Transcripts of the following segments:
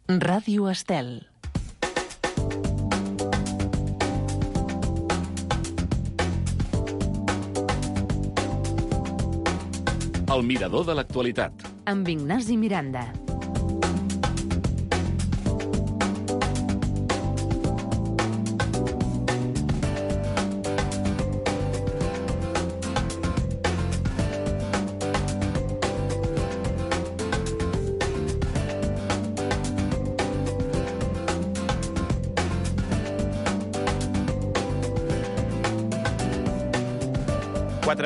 Ràdio Estel. El mirador de l'actualitat. Amb Ignasi Miranda.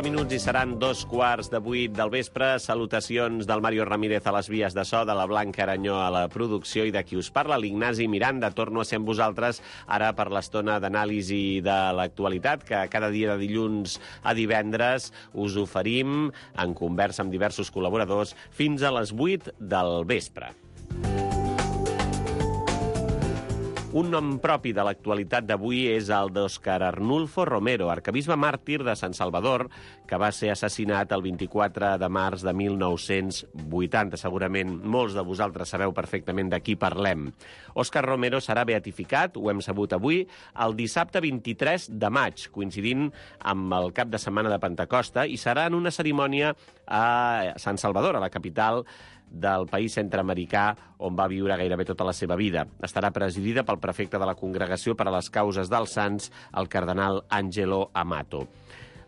Minuts i seran 2:15 del vespre. Salutacions del Mario Ramírez a les vies de so, de la Blanca Aranyó a la producció i de qui us parla, l'Ignasi Miranda. Torno a ser amb vosaltres ara per l'estona d'anàlisi de l'actualitat que cada dia de dilluns a divendres us oferim en conversa amb diversos col·laboradors fins a les 8 del vespre. Un nom propi de l'actualitat d'avui és el d'Òscar Arnulfo Romero, arquebisbe màrtir de Sant Salvador, que va ser assassinat el 24 de març de 1980. Segurament molts de vosaltres sabeu perfectament de qui parlem. Òscar Romero serà beatificat, ho hem sabut avui, el dissabte 23 de maig, coincidint amb el cap de setmana de Pentecosta, i serà en una cerimònia a Sant Salvador, a la capital del país centreamericà on va viure gairebé tota la seva vida. Estarà presidida pel prefecte de la Congregació per a les Causes dels Sants, el cardenal Angelo Amato.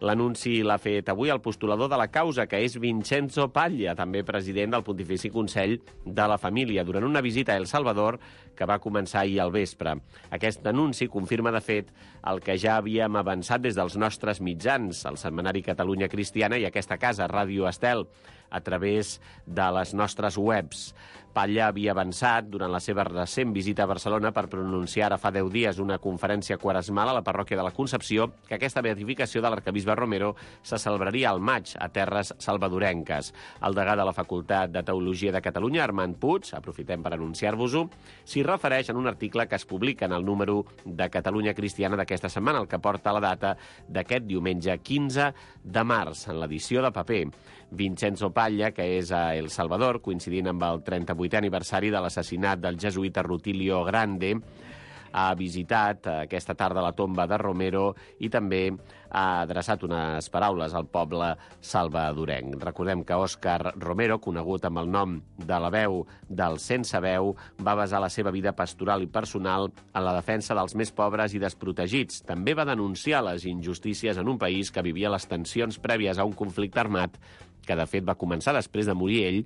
L'anunci l'ha fet avui el postulador de la causa, que és Vincenzo Paglia, també president del Pontifici Consell de la Família, durant una visita a El Salvador que va començar ahir al vespre. Aquest anunci confirma, de fet, el que ja havíem avançat des dels nostres mitjans, el setmanari Catalunya Cristiana i aquesta casa, Ràdio Estel, a través de les nostres webs. Paglia havia avançat durant la seva recent visita a Barcelona per pronunciar ara fa 10 dies una conferència quaresmal a la parròquia de la Concepció que aquesta beatificació de l'arquebisbe Romero se celebraria al maig a terres salvadorenques. El degà de la Facultat de Teologia de Catalunya, Armand Puig, aprofitem per anunciar-vos-ho, s'hi refereix en un article que es publica en el número de Catalunya Cristiana d'aquesta setmana, el que porta la data d'aquest diumenge 15 de març, en l'edició de paper. Vincenzo Paglia, que és a El Salvador, coincidint amb el 38è aniversari de l'assassinat del jesuïta Rutilio Grande, ha visitat aquesta tarda la tomba de Romero i també ha adreçat unes paraules al poble salvadorenc. Recordem que Òscar Romero, conegut amb el nom de la veu del sense veu, va basar la seva vida pastoral i personal en la defensa dels més pobres i desprotegits. També va denunciar les injustícies en un país que vivia les tensions prèvies a un conflicte armat que de fet va començar després de morir ell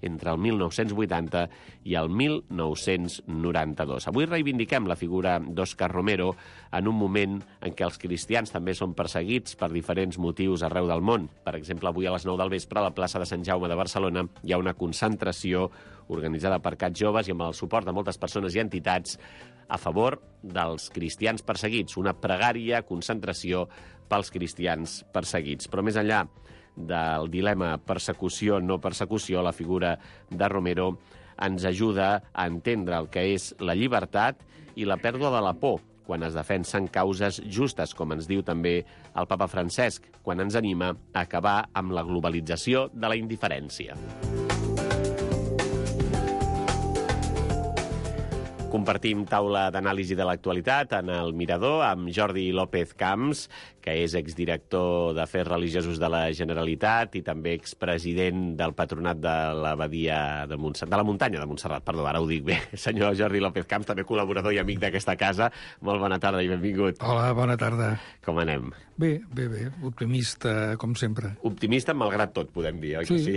entre el 1980 i el 1992. Avui reivindiquem la figura d'Òscar Romero en un moment en què els cristians també són perseguits per diferents motius arreu del món. Per exemple, avui a les 9 del vespre a la plaça de Sant Jaume de Barcelona hi ha una concentració organitzada per CAT Joves i amb el suport de moltes persones i entitats a favor dels cristians perseguits. Una pregària concentració pels cristians perseguits. Però més enllà del dilema persecució-no persecució, la figura de Romero ens ajuda a entendre el que és la llibertat i la pèrdua de la por quan es defensen causes justes, com ens diu també el papa Francesc, quan ens anima a acabar amb la globalització de la indiferència. Compartim taula d'anàlisi de l'actualitat en el Mirador amb Jordi López Camps, que és exdirector d'Afers Religiosos de la Generalitat i també expresident del Patronat de l'Abadia de Montserrat, de la Muntanya de Montserrat, perdó, ara ho dic bé. Senyor Jordi López Camps, també col·laborador i amic d'aquesta casa. Molt bona tarda i benvingut. Hola, bona tarda. Com anem? Bé. Optimista, com sempre. Optimista malgrat tot, podem dir, oi que sí?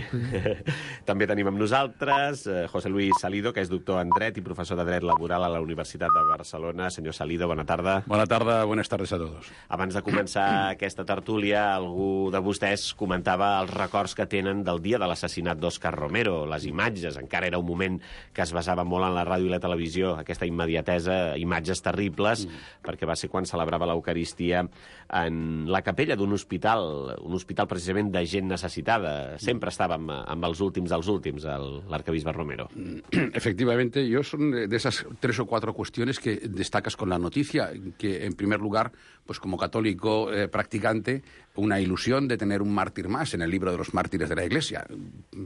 També tenim amb nosaltres José Luis Salido, que és doctor en Dret i professor de Dret Laboral a la Universitat de Barcelona. Senyor Salido, bona tarda. Bona tarda, buenas tardes a todos. Abans de començar aquesta tertúlia, algú de vostès comentava els records que tenen del dia de l'assassinat d'Òscar Romero, les imatges. Encara era un moment que es basava molt en la ràdio i la televisió, aquesta immediatesa, imatges terribles, perquè va ser quan celebrava l'Eucaristia en la capella d'un hospital, un hospital precisament de gent necessitada. Sempre estava amb els últims dels últims, l'arquebisbe Romero. Efectivamente, son de esas 3 o 4 cuestiones que destacas con la noticia, que en primer lugar, pues como católico practicante, una ilusión de tener un mártir más en el libro de los mártires de la Iglesia,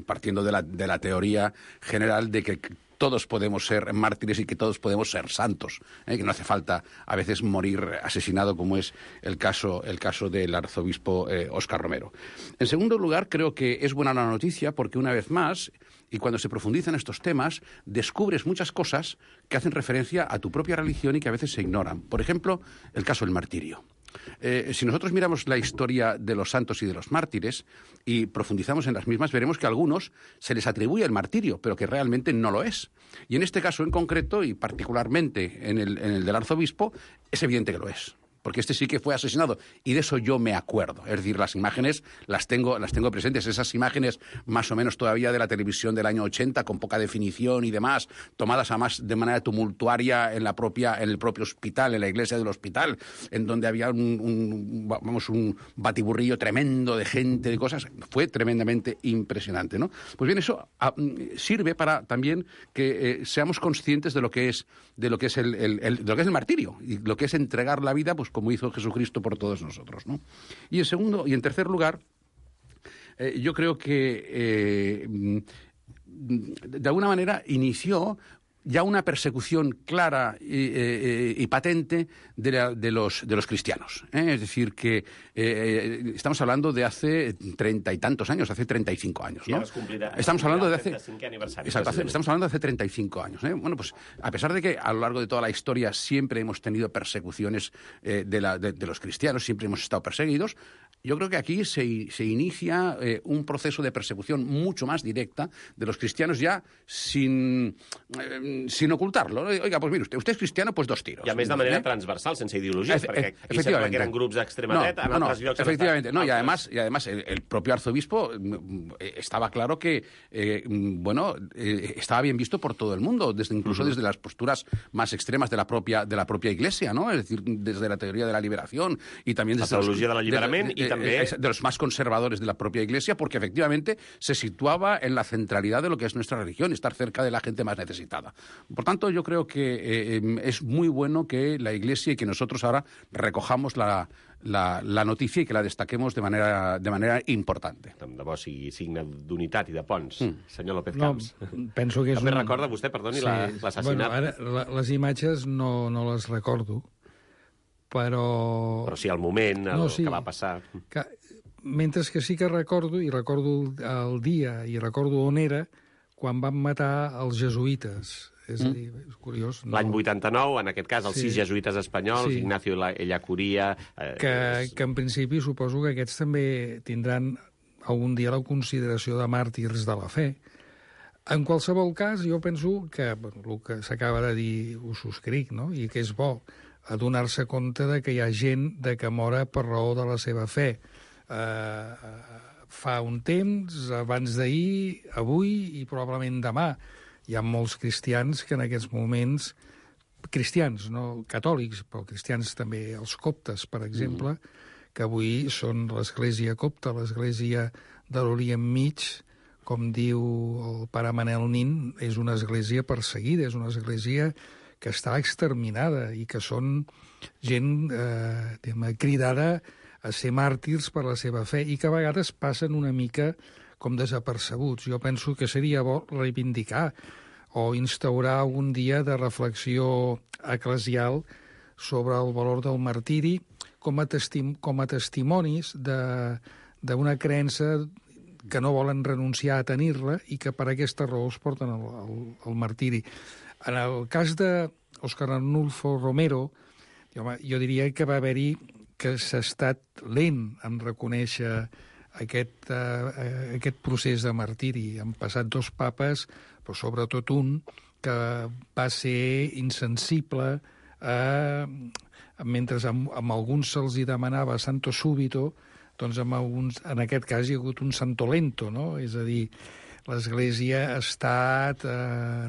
partiendo de la teoría general de que todos podemos ser mártires y que todos podemos ser santos, que no hace falta a veces morir asesinado, como es el caso del arzobispo Óscar Romero. En segundo lugar, creo que es buena la noticia porque, una vez más, y cuando se profundiza en estos temas, descubres muchas cosas que hacen referencia a tu propia religión y que a veces se ignoran. Por ejemplo, el caso del martirio. Si nosotros miramos la historia de los santos y de los mártires y profundizamos en las mismas, veremos que a algunos se les atribuye el martirio, pero que realmente no lo es. Y en este caso en concreto, y particularmente en el del arzobispo, es evidente que lo es. Porque este sí que fue asesinado, y de eso yo me acuerdo. Es decir, las imágenes las tengo presentes, esas imágenes más o menos todavía de la televisión del año 80, con poca definición y demás, tomadas además de manera tumultuaria en el propio hospital, en la iglesia del hospital, en donde había un batiburrillo tremendo de gente, de cosas. Fue tremendamente impresionante, ¿no? Pues bien, eso sirve para también que seamos conscientes de lo que es el martirio, y lo que es entregar la vida, pues como hizo Jesucristo por todos nosotros, ¿no? Y en tercer lugar, yo creo que de alguna manera inició ya una persecución clara y patente de los cristianos. Es decir, que estamos hablando de hace 30 y tantos años, hace 35 años, ¿no? Estamos hablando de hace... Exacto, estamos hablando de hace 35 años. Bueno, pues a pesar de que a lo largo de toda la historia siempre hemos tenido persecuciones de los cristianos, siempre hemos estado perseguidos, yo creo que aquí se inicia un proceso de persecución mucho más directa de los cristianos, ya sin ocultarlo. Oiga, pues mire, usted es cristiano, pues 2 tiros. I a més de manera transversal, sense ideologies, perquè aquí sembla que eren grups d'extrema dreta, en altres llocs... Efectivamente, no, y además el propio arzobispo estaba claro que estaba bien visto por todo el mundo, incluso desde las posturas más extremas de la propia Iglesia, ¿no? Es decir, desde la teoría de la liberación y también desde la teologia del alliberament i també de los más conservadores de la propia Iglesia, porque efectivamente se situaba en la centralidad de lo que es nuestra religión, estar cerca de la gente más necesitada. Por tanto, yo creo que es muy bueno que la Iglesia y que nosotros ahora recojamos la notícia i que la destaquemos de manera importante. Tant de bo sigui signe d'unitat i de ponts. Senyor López Camps. Penso que és també recorda vostè, perdoni, l'assassinat? Bueno, ara, les imatges no les recordo, però sí, el moment, que va passar. Mentre que sí que recordo, i recordo el dia, i recordo on era, quan van matar els jesuïtes. És a dir, és curiós. L'any 89, en aquest cas, els 6 jesuïtes espanyols, Ignacio Ellacuría... Que en principi suposo que aquests també tindran algun dia la consideració de màrtirs de la fe. En qualsevol cas, jo penso que el que s'acaba de dir ho subscric, no? I que és bo adonar-se compte de que hi ha gent que mora per raó de la seva fe. Fa un temps, abans d'ahir, avui i probablement demà, hi ha molts cristians que en aquests moments, cristians, no catòlics, però cristians també, els coptes, per exemple, que avui són l'església copta, l'església de l'Orient Mig, com diu el pare Manel Nin, és una església perseguida, és una església que està exterminada i que són gent cridada a ser màrtirs per la seva fe i que a vegades passen una mica com desapercebuts. Jo penso que seria bo reivindicar o instaurar un dia de reflexió eclesial sobre el valor del martiri com a testimonis d'una creença que no volen renunciar a tenir-la i que per aquesta raó es porten al martiri. En el cas d'Óscar Arnulfo Romero, jo diria que va haver-hi que s'ha estat lent en reconèixer aquest procés de martiri. Han passat 2 papes, però sobretot un que va ser insensible mentre amb alguns se'ls demanava santo súbito, doncs en aquest cas hi ha hagut un santo lento, no? És a dir, l'Església ha estat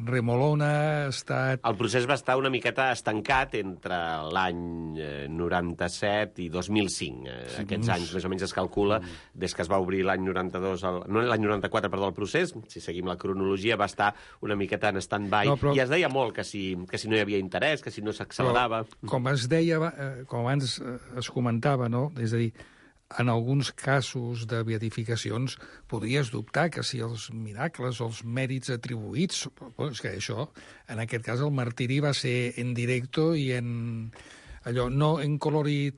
remolona, ha estat... El procés va estar una miqueta estancat entre l'any 97 i 2005. Aquests anys, més o menys, es calcula, des que es va obrir l'any 94, el procés, si seguim la cronologia, va estar una miqueta en stand-by, i es deia molt que si no hi havia interès, que si no s'accelerava... Com es deia, com abans es comentava, no? És a dir, en alguns casos de beatificacions podries dubtar que si els miracles o els mèrits atribuïts... És que això, en aquest cas, el martiri va ser en directo i en... Allò, no en color y...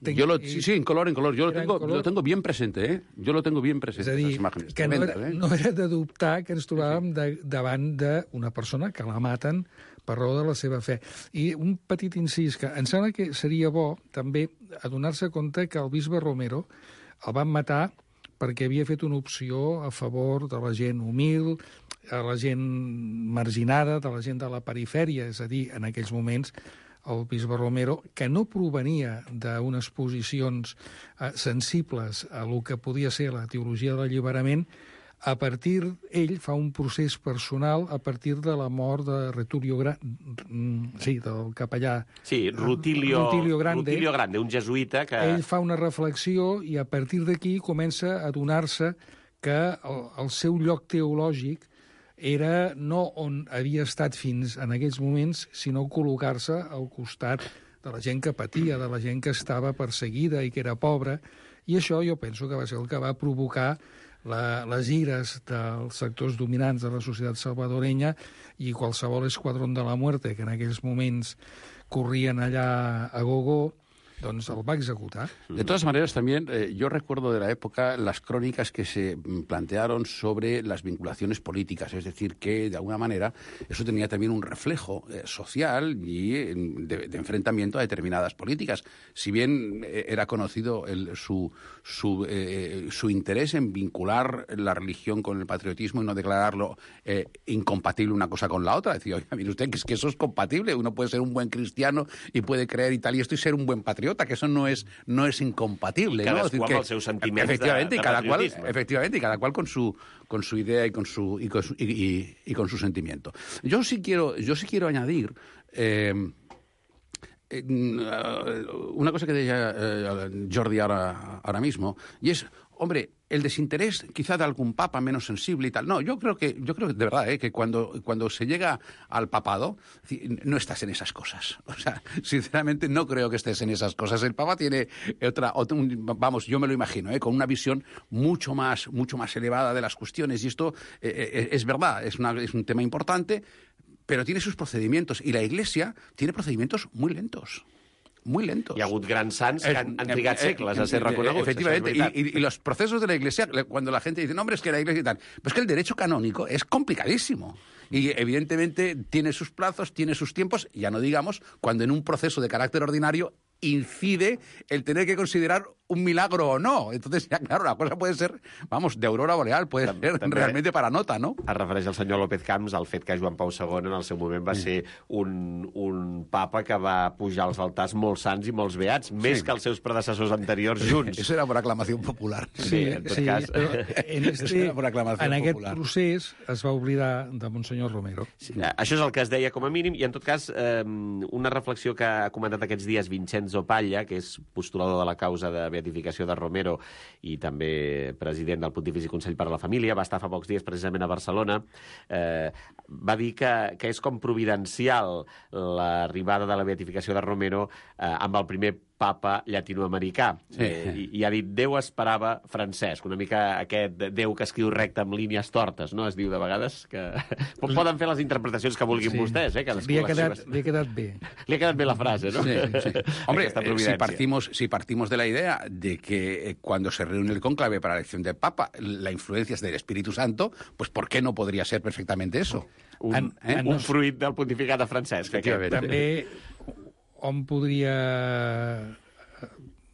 Sí, en color. Yo lo tengo bien presente, ¿eh? Yo lo tengo bien presente. És a dir, que no era de dubtar que ens trobàvem davant d'una persona que la maten per raó de la seva fe. I un petit incís, que em sembla que seria bo també adonar-se compte que el bisbe Romero el van matar perquè havia fet una opció a favor de la gent humil, a la gent marginada, de la gent de la perifèria, és a dir, en aquells moments el bisbe Romero, que no provenia d'unes posicions sensibles a lo que podia ser la teologia de l'alliberament, ell fa un procés personal a partir de la mort de del capellà... Sí, Rutilio Grande, un jesuïta que... Ell fa una reflexió i a partir d'aquí comença a adonar-se que el seu lloc teològic era no on havia estat fins en aquells moments, sinó col·locar-se al costat de la gent que patia, de la gent que estava perseguida i que era pobra, i això jo penso que va ser el que va provocar les ires dels sectors dominants de la societat salvadorenya i qualsevol esquadrón de la muerte que en aquells moments corrien allà a gogo, doncs el va executar. De todas maneras, también yo recuerdo de la época las crónicas que se plantearon sobre las vinculaciones políticas, es decir, que de alguna manera eso tenía también un reflejo social y de enfrentamiento a determinadas políticas. Si bien era conocido su interés en vincular la religión con el patriotismo y no declararlo incompatible una cosa con la otra, decía, oiga, mire usted, que es que eso es compatible, uno puede ser un buen cristiano y puede creer y tal, y esto y ser un buen patriota, que eso no es incompatible. Cadascú amb els seus sentiments efectivamente, de patriotisme. Efectivamente, y cada cual con su idea y con su sentimiento. Yo sí quiero añadir una cosa que decía Jordi ahora mismo, y es, hombre, el desinterés quizá de algún papa menos sensible y tal. No, yo creo que de verdad, que cuando se llega al papado, no estás en esas cosas. O sea, sinceramente no creo que estés en esas cosas. El papa tiene vamos, yo me lo imagino, con una visión mucho más elevada de las cuestiones. Y esto es verdad, es un tema importante, pero tiene sus procedimientos. Y la Iglesia tiene procedimientos muy lentos. Muy lentos. Hi ha hagut grans sants que han trigat segles a ser reconeguts. Efectivamente, y los procesos de la Iglesia, cuando la gente dice, no, hombre, es que la Iglesia y tal, pues que el derecho canónico es complicadísimo. Y evidentemente tiene sus plazos, tiene sus tiempos, ya no digamos, cuando en un proceso de carácter ordinario incide el tener que considerar un milagro o no. Entonces, ya claro, la cosa puede ser, vamos, de aurora boreal, puede ser realmente para nota, no? Es refereix al senyor López Camps al fet que Joan Pau II en el seu moment va ser un papa que va pujar als altars molt sants i molts beats, més que els seus predecessors anteriors junts. Eso era por aclamació popular. Sí, en tot cas. En aquest procés es va oblidar de Monsenyor Romero. Sí, això és el que es deia com a mínim, i en tot cas una reflexió que ha comentat aquests dies Vincenzo Paglia, que és postulador de la causa de beatificació de Romero i també president del Pontifici Consell per a la Família, va estar fa pocs dies precisament a Barcelona, va dir que és com providencial l'arribada de la beatificació de Romero amb el primer papa llatinoamericà. Sí. I ha dit, Déu esperava Francesc, una mica aquest Déu que escriu recte amb línies tortes, no? Es diu de vegades que... Poden fer les interpretacions que vulguin vostès, Li ha quedat bé. Li ha quedat bé la frase, ¿no? Sí. Hombre, si partimos de la idea de que cuando se reúne el cónclave para la elección del Papa, la influencia es del Espíritu Santo, pues ¿por qué no podría ser perfectamente eso? Un fruit del pontificat de Francesc. També hom podria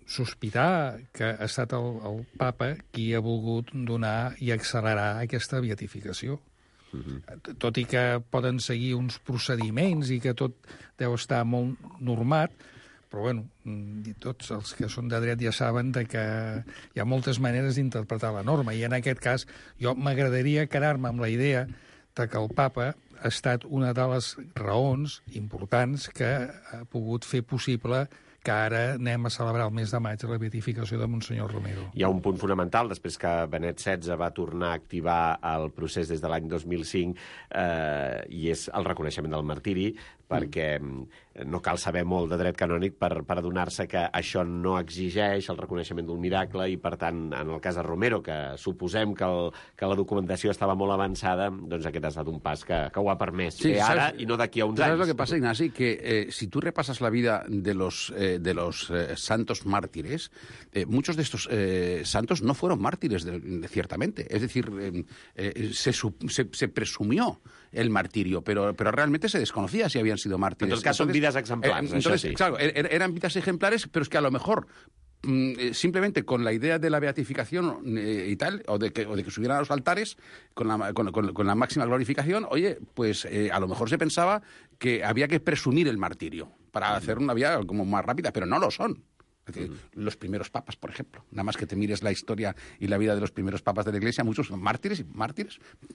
sospitar que ha estat el papa qui ha volgut donar i accelerar aquesta beatificació. Tot i que poden seguir uns procediments i que tot deu estar molt normat, però bueno, tots els que són de dret ja saben que hi ha moltes maneres d'interpretar la norma, i en aquest cas jo m'agradaria quedar-me amb la idea que el papa ha estat una de les raons importants que ha pogut fer possible que ara anem a celebrar el mes de maig la beatificació de Monsenyor Romero. Hi ha un punt fonamental, després que Benet XVI va tornar a activar el procés des de l'any 2005, i és el reconeixement del martiri, perquè no cal saber molt de dret canònic per adonar-se que això no exigeix el reconeixement d'un miracle i, per tant, en el cas de Romero, que suposem que la documentació estava molt avançada, doncs aquest ha estat un pas que ho ha permès fer ara i no d'aquí a uns anys. ¿Sabes lo que pasa, Ignasi? Que si tú repasas la vida de los santos mártires, muchos de estos santos no fueron mártires, ciertamente. Es decir, se presumió el martirio, pero realmente se desconocía si habían sido mártires. En tot cas, són vides exemplars, això sí. Claro, eran vidas ejemplares, pero es que a lo mejor simplemente con la idea de la beatificación y tal, o de que subieran a los altares con la máxima glorificación, oye, pues a lo mejor se pensaba que había que presumir el martirio para hacer una vida como más rápida, pero no lo son. Es decir, los primeros papas, por ejemplo, nada más que te mires la historia y la vida de los primeros papas de la Iglesia, muchos son mártires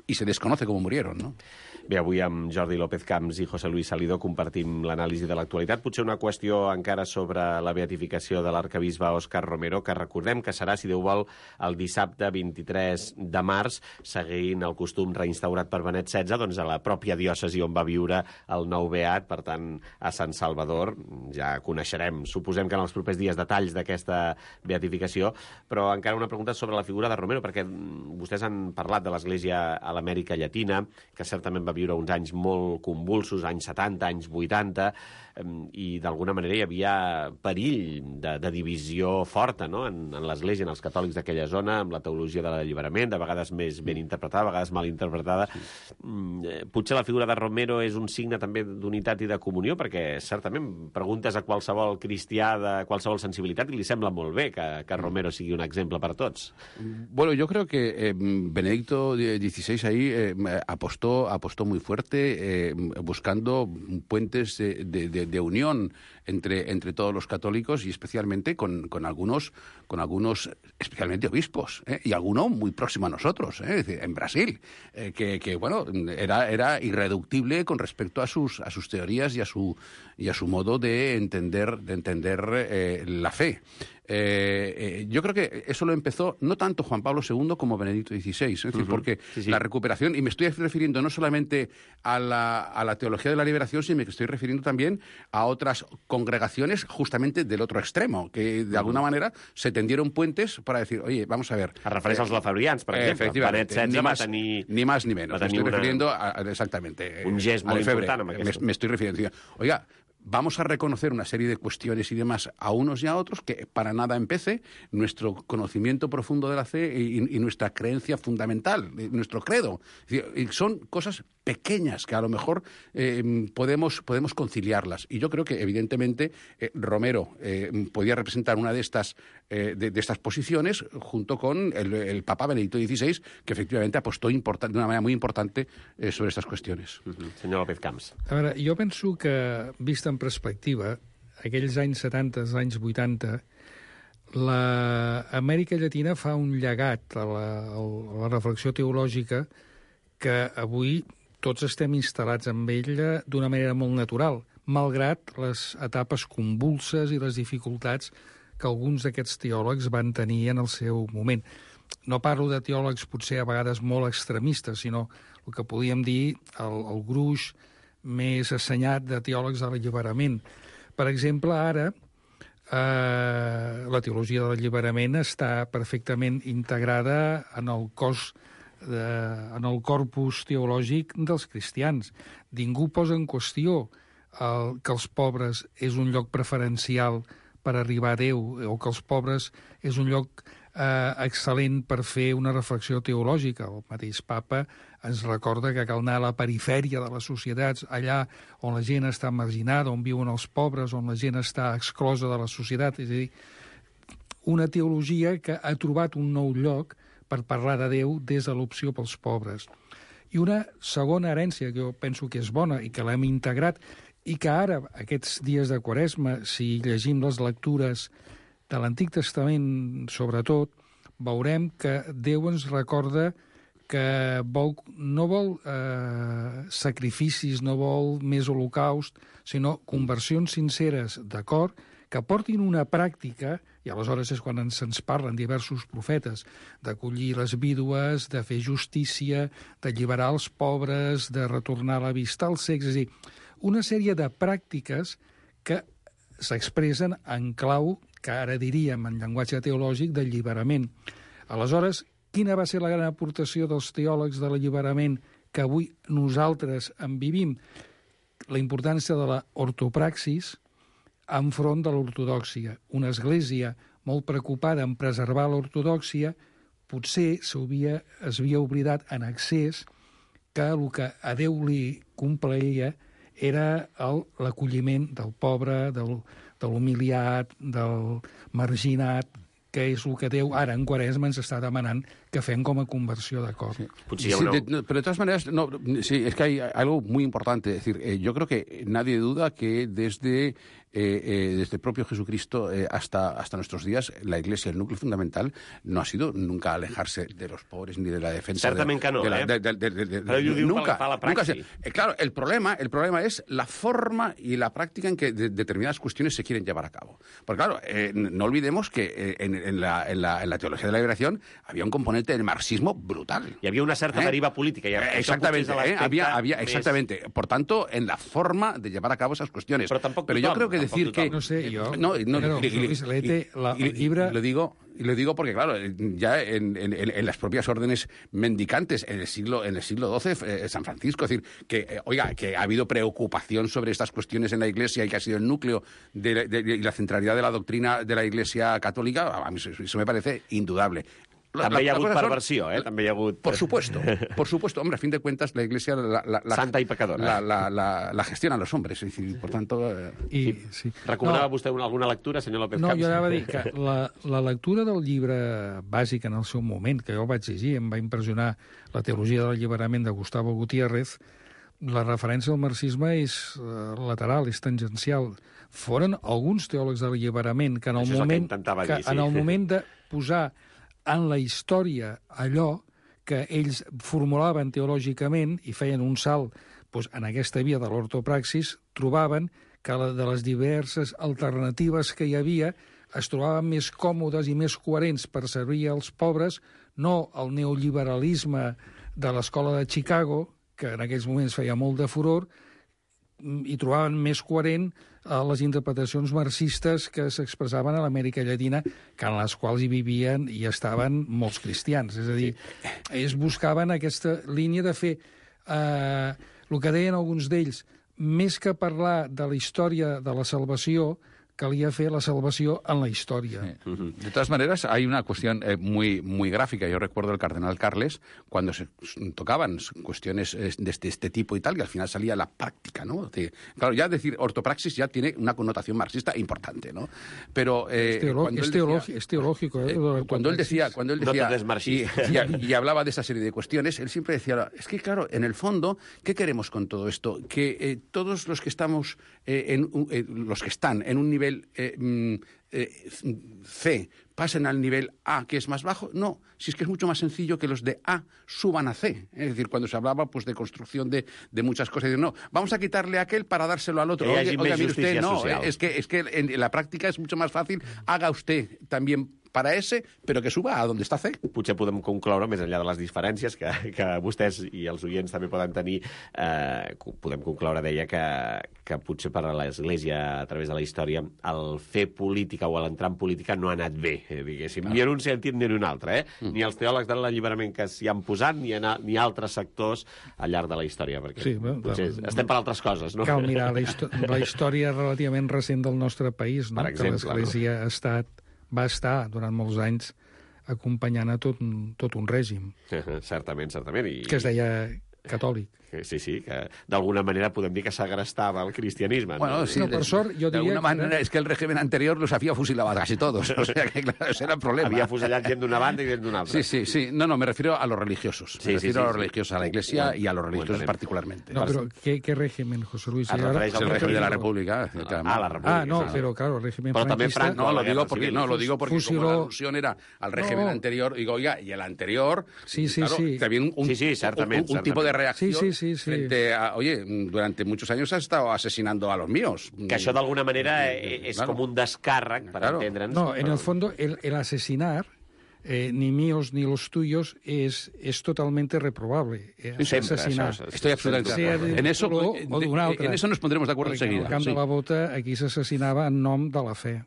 y se desconoce cómo murieron, no? Bé, avui amb Jordi López Camps i José Luis Salido compartim l'anàlisi de l'actualitat. Potser una qüestió encara sobre la beatificació de l'arcabisbe Òscar Romero, que recordem que serà, si Déu vol, el dissabte 23 de març, seguint el costum reinstaurat per Benet XVI, doncs a la pròpia diòcesi on va viure el nou beat, per tant, a Sant Salvador. Ja coneixerem, suposem que en els propers dies, detalls d'aquesta beatificació, però encara una pregunta sobre la figura de Romero, perquè vostès han parlat de l'Església a l'Amèrica Llatina, que certament va viure uns anys molt convulsos, anys 70, anys 80, i d'alguna manera hi havia perill de divisió forta, no?, en l'Església, en els catòlics d'aquella zona, amb la teologia de l'alliberament, de vegades més ben interpretada, de vegades mal interpretada. Potser la figura de Romero és un signe també d'unitat i de comunió, perquè certament preguntes a qualsevol cristià de qualsevol sensibilitat i li sembla molt bé que Romero sigui un exemple per tots. Bueno, yo creo que Benedicto XVI ahí apostó muy fuerte buscando puentes de unión entre todos los católicos y especialmente con algunos especialmente obispos, y alguno muy próximo a nosotros, es decir, en Brasil, que bueno, era irreductible con respecto a sus teorías y a su modo de entender la fe. Yo creo que eso lo empezó no tanto Juan Pablo II como Benedicto XVI, es decir, porque la recuperación, y me estoy refiriendo no solamente a la teología de la liberación, sino que estoy refiriendo también a otras congregaciones justamente del otro extremo, que de alguna manera se tendieron puentes para decir, oye, vamos a ver... A refereix als lafeborians, per exemple. Efectivamente, ni más ni menos. Me estoy refiriendo exactamente un gest molt important amb aquest. Me estoy refiriendo. Oiga, vamos a reconocer una serie de cuestiones y demás a unos y a otros que para nada empece nuestro conocimiento profundo de la fe y nuestra creencia fundamental, nuestro credo. Y son cosas pequeñas que a lo mejor podemos conciliarlas. Y yo creo que, evidentemente, Romero podía representar una de estas posiciones junto con el Papa Benedicto XVI, que efectivamente apostó de una manera muy importante sobre estas cuestiones. Senyor López Camps. A veure, jo penso que, vist en perspectiva, aquells anys 70, anys 80, l'Amèrica Llatina fa un llegat a la reflexió teològica que avui tots estem instal·lats amb ella d'una manera molt natural, malgrat les etapes convulses i les dificultats que alguns d'aquests teòlegs van tenir en el seu moment. No parlo de teòlegs potser a vegades molt extremistes, sinó el que podíem dir el gruix més assenyat de teòlegs de l'alliberament. Per exemple, ara la teologia de l'alliberament està perfectament integrada en el corpus teològic dels cristians. Ningú posa en qüestió que els pobres és un lloc preferencial per arribar a Déu, o que els pobres és un lloc excel·lent per fer una reflexió teològica. El mateix Papa ens recorda que cal anar a la perifèria de les societats, allà on la gent està marginada, on viuen els pobres, on la gent està exclosa de la societat. És a dir, una teologia que ha trobat un nou lloc per parlar de Déu des de l'opció pels pobres. I una segona herència que jo penso que és bona i que l'hem integrat i que ara, aquests dies de Quaresma, si llegim les lectures de l'Antic Testament, sobretot, veurem que Déu ens recorda que no vol sacrificis, no vol més holocaust, sinó conversions sinceres de cor que portin una pràctica, i aleshores és quan se'ns parlen diversos profetes, d'acollir les vídues, de fer justícia, d'alliberar els pobres, de retornar la vista als cecs, és a dir, una sèrie de pràctiques que s'expressen en clau, que ara diríem en llenguatge teològic, d'alliberament. Aleshores, quina va ser la gran aportació dels teòlegs de l'alliberament que avui nosaltres en vivim? La importància de la ortopraxis enfront de l'ortodòxia. Una església molt preocupada en preservar l'ortodòxia potser es havia oblidat en excés que el que a Déu li complaïa era l'acolliment del pobre, de l'humiliat, del marginat, que és el que Déu ara en Quaresma ens està demanant que fem com a conversió de cor. Sí. Pero de todas maneras, sí, es que hay algo muy importante. Es decir, yo creo que nadie duda que desde el propio Jesucristo hasta nuestros días, la Iglesia, el núcleo fundamental, no ha sido nunca alejarse de los pobres ni de la defensa. Certament que no, Però jo digo nunca, la praxis. Claro, el problema es la forma y la práctica en que determinadas cuestiones se quieren llevar a cabo. Porque claro, no olvidemos que en la teología de la liberación había un componente del marxismo brutal. Hi havia una certa deriva política. Exactamente, había exactamente. Por tanto, en la forma de llevar a cabo esas cuestiones. Pero yo creo que decir que... No sé, jo... el llibre... Y lo digo porque, claro, ya en las propias órdenes mendicantes, en el siglo XII, San Francisco, es decir, que ha habido preocupación sobre estas cuestiones en la Iglesia y que ha sido el núcleo y la centralidad de la doctrina de la Iglesia católica, a mí eso me parece indudable. També hi ha hagut perversió, També hi ha hagut... Por supuesto. Hombre, a fin de cuentas, la Iglesia... Santa y pecadora. La gestiona los hombres, es decir, por tanto... Sí. Recomanava vostè alguna lectura, senyor López Camps? No, jo anava a dir que la lectura del llibre bàsic en el seu moment, que jo vaig llegir, em va impressionar la teologia de l'alliberament de Gustavo Gutiérrez, la referència al marxisme és lateral, és tangencial. Foren alguns teòlegs de l'alliberament que en el moment de posar en la història allò que ells formulaven teològicament i feien un salt en aquesta via de l'ortopraxis, trobaven que de les diverses alternatives que hi havia es trobaven més còmodes i més coherents per servir als pobres, no el neoliberalisme de l'escola de Chicago, que en aquells moments feia molt de furor, i trobaven més coherent les interpretacions marxistes que s'expressaven a l'Amèrica Llatina, que en les quals hi vivien i estaven molts cristians. És a dir, ells buscaven aquesta línia de fer el que deien alguns d'ells, més que parlar de la història de la salvació, calia fer la salvació en la historia. De todas maneras, hay una cuestión muy, muy gráfica. Yo recuerdo el cardenal Carles, cuando se tocaban cuestiones de este tipo y tal, que al final salía la práctica, ¿no? Claro, ya decir ortopraxis ya tiene una connotación marxista importante, ¿no? Pero... es teológico. Cuando él decía y hablaba de esa serie de cuestiones, él siempre decía, es que claro, en el fondo, ¿qué queremos con todo esto? Que todos los que estamos, los que están en un nivel C pasen al nivel A, que es más bajo. No, si es que es mucho más sencillo que los de A suban a C. Es decir, cuando se hablaba de construcción de muchas cosas, no, vamos a quitarle a aquel para dárselo al otro. Oiga, mire usted, no, es que en la práctica es mucho más fácil. Haga usted también para ese, però que suba a donde està C. Potser podem concloure, més enllà de les diferències que vostès i els oients també poden tenir, podem concloure, deia, que potser per a l'Església, a través de la història, el fer política o l'entrar en política no ha anat bé, diguéssim, ni en un sentit ni en un altre, ni els teòlegs de l'alliberament que s'hi han posat, ni altres sectors al llarg de la història, perquè potser estem per altres coses, no? Cal mirar la història relativament recent del nostre país, no? Per exemple, que l'Església va estar durant molts anys acompanyant a tot un règim. Certament. Que es deia catòlic. Sí, que d'alguna manera podem dir que s'agrestava el cristianisme. Bueno, sí, per sort, jo diria... De alguna manera es que el régimen anterior los había fusilado casi todos. O sea que, claro, ese era el problema. Había fusillat gent d'una banda i gent d'una altra. Sí. No, me refiero a los religiosos. Me refiero a los religiosos, a la Iglesia y a los religiosos particularmente. No, pero ¿qué régimen, José Luis? Es el régimen de la República. La República. No, pero claro, el régimen franquista... No, lo digo porque como la alusión era al régimen anterior, digo, oiga, y el anterior... Sí. Había un tipo de reacción frente a... Oye, durante muchos años has estado asesinando a los míos. Que això d'alguna manera és com un descàrrec, per entendre'ns. No, en el fondo, el asesinar ni míos ni los tuyos es totalmente reprobable. Sempre, assassinar. això Estoy absolutamente de acuerdo. En eso nos pondremos de acuerdo Perquè enseguida. al camp Sí. de la Bota aquí s'assassinava en nom de la fe.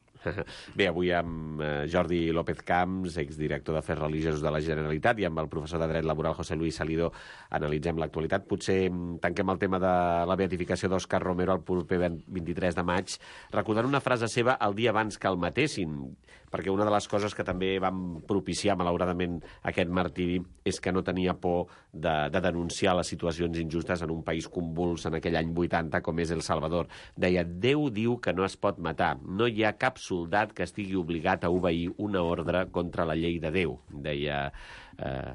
Bé, avui amb Jordi López Camps, exdirector d'Afers Religiosos de la Generalitat, i amb el professor de Dret Laboral José Luis Salido analitzem l'actualitat. Potser tanquem el tema de la beatificació d'Òscar Romero el proper 23 de maig, recordant una frase seva el dia abans que el matessin, perquè una de les coses que també van propiciar, malauradament, aquest martiri és que no tenia por de denunciar les situacions injustes en un país convuls en aquell any 80 com és El Salvador. Deia, Déu diu que no es pot matar, no hi ha cap soldat que estigui obligat a obeir una ordre contra la llei de Déu, deia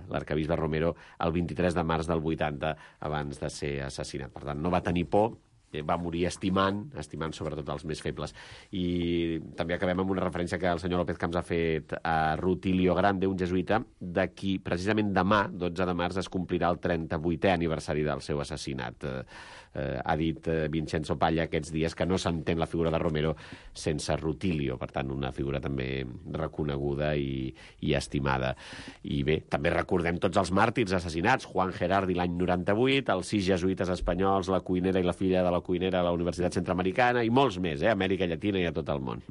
l'arcabisbe Romero el 23 de març del 80 abans de ser assassinat. Per tant, no va tenir por, va morir estimant sobretot els més febles. I també acabem amb una referència que el senyor López Camps ha fet a Rutilio Grande, un jesuïta, de qui precisament demà, 12 de març, es complirà el 38è aniversari del seu assassinat. Ha dit Vincenzo Palla aquests dies que no s'entén la figura de Romero sense Rutilio, per tant, una figura també reconeguda i estimada. I bé, també recordem tots els màrtirs assassinats, Juan Gerardi l'any 98, els 6 jesuïtes espanyols, la cuinera i la filla de la cuinera a la Universitat Centroamericana, i molts més, a Amèrica Llatina i a tot el món.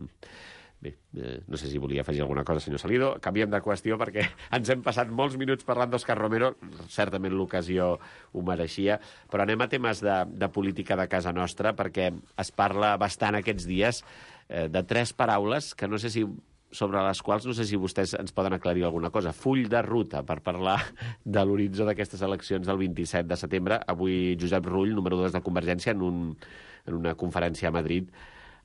Bé, no sé si volia afegir alguna cosa, senyor Salido. Canviem de qüestió perquè ens hem passat molts minuts parlant d'Òscar Romero, certament l'ocasió ho mereixia, però anem a temes de política de casa nostra, perquè es parla bastant aquests dies de 3 paraules que no sé si sobre les quals no sé si vostès ens poden aclarir alguna cosa. Full de ruta per parlar de l'horitzó d'aquestes eleccions del 27 de setembre. Avui Josep Rull, número 2 de Convergència, en una conferència a Madrid,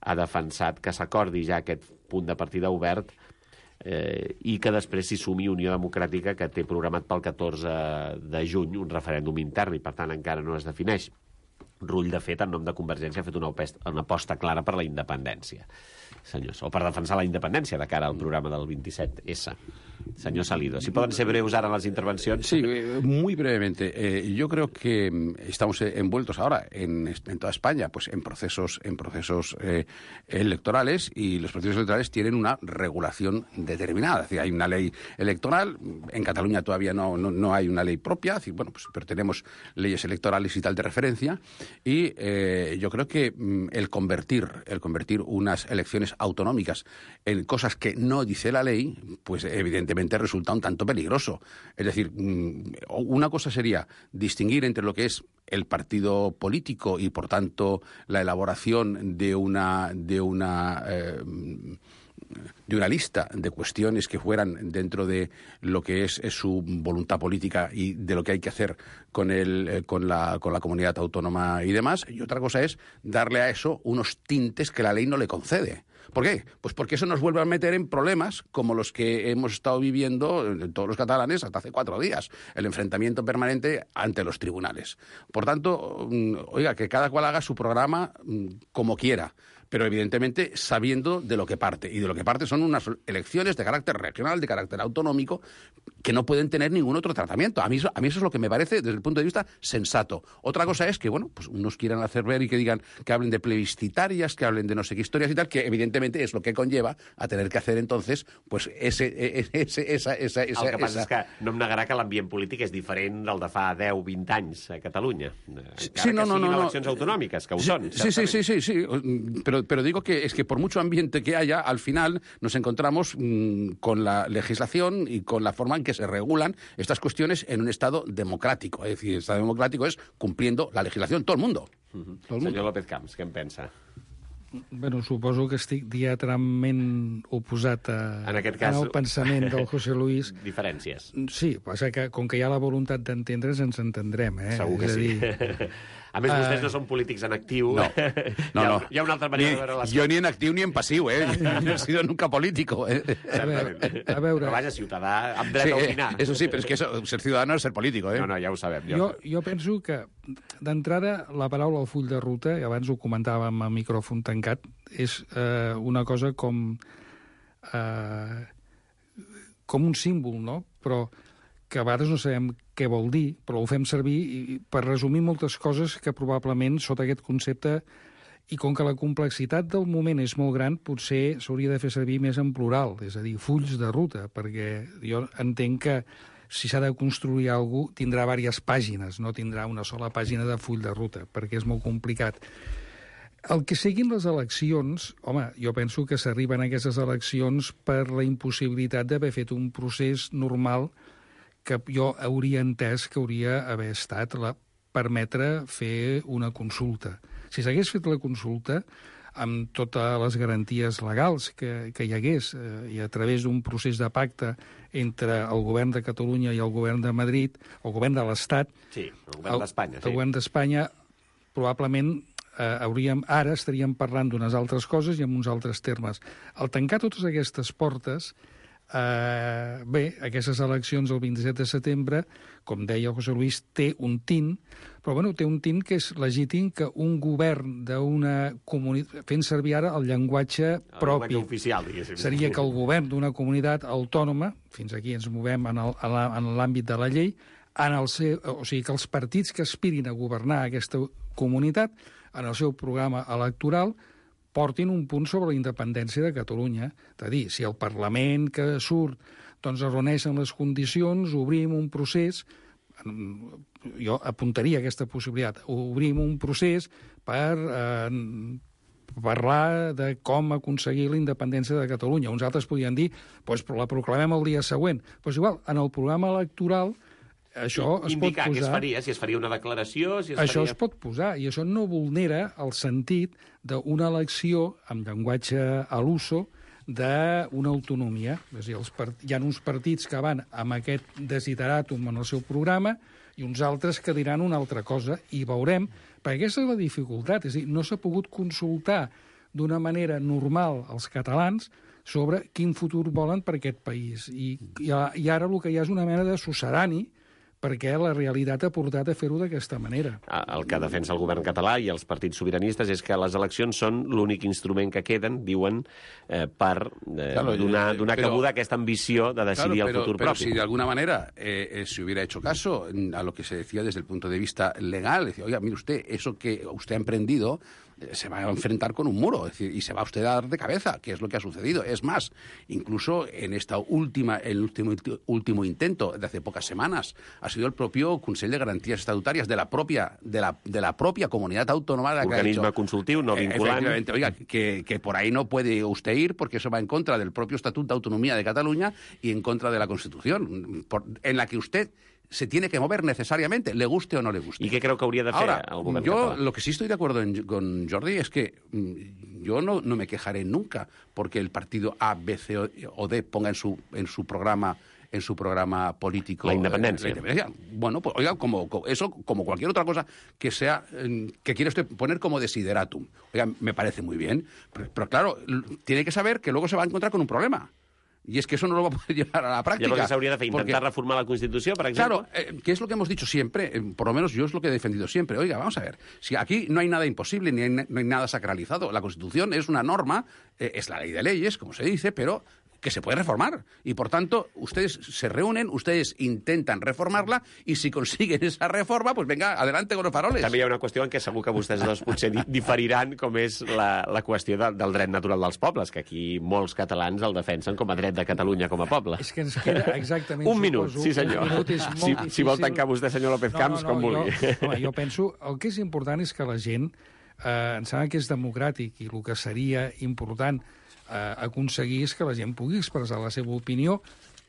ha defensat que s'acordi ja aquest punt de partida obert i que després s'hi sumi Unió Democràtica, que té programat pel 14 de juny un referèndum intern i, per tant, encara no es defineix. Rull, de fet, en nom de Convergència, ha fet una aposta clara per la independència, senyors, o per defensar la independència de cara al programa del 27S. Señor Salido, si pueden ser breves ahora las intervenciones. Sí, muy brevemente. Yo creo que estamos envueltos ahora en toda España pues en procesos electorales, y los procesos electorales tienen una regulación determinada. Es decir, hay una ley electoral. En Cataluña todavía no hay una ley propia. Es decir, bueno, pues, pero tenemos leyes electorales y tal de referencia. Y yo creo que el convertir unas elecciones autonómicas en cosas que no dice la ley, pues evidentemente resulta un tanto peligroso. Es decir, una cosa sería distinguir entre lo que es el partido político y, por tanto, la elaboración de una lista de cuestiones que fueran dentro de lo que es su voluntad política y de lo que hay que hacer con la comunidad autónoma y demás. Y otra cosa es darle a eso unos tintes que la ley no le concede. ¿Por qué? Pues porque eso nos vuelve a meter en problemas como los que hemos estado viviendo todos los catalanes hasta hace 4 días. El enfrentamiento permanente ante los tribunales. Por tanto, oiga, que cada cual haga su programa como quiera, pero evidentemente sabiendo de lo que parte. Y de lo que parte son unas elecciones de carácter regional, de carácter autonómico, que no pueden tener ningún otro tratamiento. A mí eso es lo que me parece, desde el punto de vista, sensato. Otra cosa es que, bueno, pues unos quieran hacer ver y que digan, que hablen de plebiscitarias, que hablen de no sé qué historias y tal, que evidentemente es lo que conlleva a tener que hacer entonces, pues esa... El que passa és que no em negarà que l'ambient polític és diferent del de fa 10-20 anys a Catalunya. Encara que siguin eleccions autonòmiques, que ho són. Sí. Pero digo que es que por mucho ambiente que haya, al final nos encontramos con la legislación y con la forma en que se regulan estas cuestiones en un Estado democrático. Es decir, el Estado democrático es cumpliendo la legislación, todo el mundo. Senyor López Camps, què en pensa? Bueno, suposo que estic diametralment oposat al pensament del José Luis. Diferències. Sí, passa que com que hi ha la voluntat d'entendre's, ens entendrem, eh? Segur que sí. A més, vostès no són polítics en actiu. No. Hi ha una altra manera de veure les coses. Jo ni en actiu ni en passiu, no he sido nunca político. A veure... Però vaja, ciutadà, amb dret a opinar. Eso sí, pero es que ser ciudadano es ser político, No, ja ho sabem. Jo penso que, d'entrada, la paraula al full de ruta, i abans ho comentàvem a micròfon tancat, és una cosa com un símbol, no? Però que a vegades no sabem què vol dir, però ho fem servir per resumir moltes coses que probablement sota aquest concepte I com que la complexitat del moment és molt gran, potser s'hauria de fer servir més en plural, és a dir, fulls de ruta, perquè jo entenc que si s'ha de construir alguna cosa, tindrà diverses pàgines, no tindrà una sola pàgina de full de ruta, perquè és molt complicat. El que siguin les eleccions, home, jo penso que s'arriben a aquestes eleccions per la impossibilitat d'haver fet un procés normal que jo hauria entès que hauria haver estat permetre fer una consulta. Si s'hagués fet la consulta, amb totes les garanties legals que hi hagués i a través d'un procés de pacte entre el govern de Catalunya i el govern de Madrid, el govern de l'Estat... Sí, el govern d'Espanya. El govern d'Espanya, probablement ara estaríem parlant d'unes altres coses i amb uns altres termes. Al tancar totes aquestes portes, aquestes eleccions el 27 de setembre, com deia el José Luis, té un tint, però té un tint que és legítim que un govern d'una comunitat, fent servir ara el llenguatge propi, llenguatge oficial, diguéssim. Seria que el govern d'una comunitat autònoma, fins aquí ens movem en l'àmbit de la llei, o sigui que els partits que aspirin a governar aquesta comunitat, en el seu programa electoral, portin un punt sobre la independència de Catalunya. És a dir, si el Parlament que surt es reuneixen les condicions, obrim un procés, jo apuntaria aquesta possibilitat, obrim un procés per parlar de com aconseguir la independència de Catalunya. Uns altres podien dir, la proclamem el dia següent. Igual, en el programa electoral això es pot posar... Indicar què es faria, si es faria una declaració... Això es pot posar, i això no vulnera el sentit d'una elecció amb llenguatge a l'uso d'una autonomia. És a dir, hi ha uns partits que van amb aquest desideràtum en el seu programa i uns altres que diran una altra cosa, i veurem, perquè aquesta és la dificultat, és a dir, no s'ha pogut consultar d'una manera normal als catalans sobre quin futur volen per aquest país. I ara el que hi ha és una mena de succedani perquè la realitat ha portat a fer-ho d'aquesta manera. El que defensa el govern català i els partits sobiranistes és que les eleccions són l'únic instrument que queden, diuen, per donar cabuda a aquesta ambició de decidir el futur propi. Pero si de alguna manera se hubiera hecho caso a lo que se decía desde el punto de vista legal, decía, oiga, mire usted, eso que usted ha emprendido se va a enfrentar con un muro, es decir, y se va usted a dar de cabeza, que es lo que ha sucedido. Es más, incluso en el último intento de hace pocas semanas, ha sido el propio Consell de Garantías Estatutarias de la propia comunidad autónoma que organisme consultiu, no vinculant. Oiga, que por ahí no puede usted ir porque eso va en contra del propio Estatuto de Autonomía de Cataluña y en contra de la Constitución, en la que usted se tiene que mover necesariamente, le guste o no le guste. ¿Y qué creo que habría de hacer el govern català? Lo que sí estoy de acuerdo con Jordi es que yo no me quejaré nunca porque el partido A, B, C o D ponga en su programa político la independencia. Bueno, pues oiga, como cualquier otra cosa que sea que quiere usted poner como desideratum. Oiga, me parece muy bien, pero claro, tiene que saber que luego se va a encontrar con un problema. Y es que eso no lo va a poder llevar a la práctica. Llavors s'hauria de fer, intentar reformar la Constitució, per exemple. Claro, que es lo que hemos dicho siempre, por lo menos yo es lo que he defendido siempre. Oiga, vamos a ver, si aquí no hay nada imposible, no hay nada sacralizado, la Constitución es una norma, es la ley de leyes, como se dice, pero que se puede reformar. Y, por tanto, ustedes se reúnen, ustedes intentan reformarla, y si consiguen esa reforma, pues venga, adelante con los faroles. També hi ha una qüestió en què segur que vostès dos potser diferiran, com és la qüestió del dret natural dels pobles, que aquí molts catalans el defensen com a dret de Catalunya com a poble. És que ens queda exactament... Un minut, sí senyor. Un minut és molt difícil. Si vol tancar vostè, senyor López Camps, com vulgui. Jo penso, el que és important és que la gent, em sembla que és democràtic, i el que seria important aconseguir és que la gent pugui expressar la seva opinió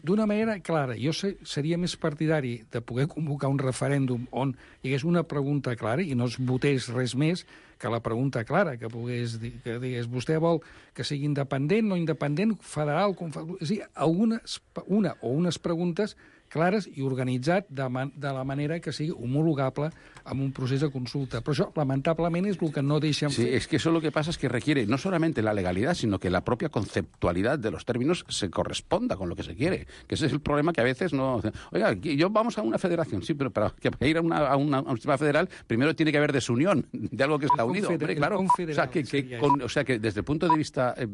d'una manera clara. Jo seria més partidari de poder convocar un referèndum on hi hagués una pregunta clara i no es votés res més que la pregunta clara, que digués vostè vol que sigui independent, no independent, federal, és a dir, una o unes preguntes clares i organitzat de la manera que sigui homologable amb un procés de consulta. Però això, lamentablement, és el que no deixen fer. Sí, es que eso lo que pasa es que requiere no solamente la legalidad, sino que la propia conceptualidad de los términos se corresponda con lo que se quiere. Que ese es el problema que a veces no... Oiga, yo vamos a una federación, sí, pero para ir a un sistema federal, primero tiene que haber desunión de algo que está unido. Hombre, claro. O sea, que desde el punto de vista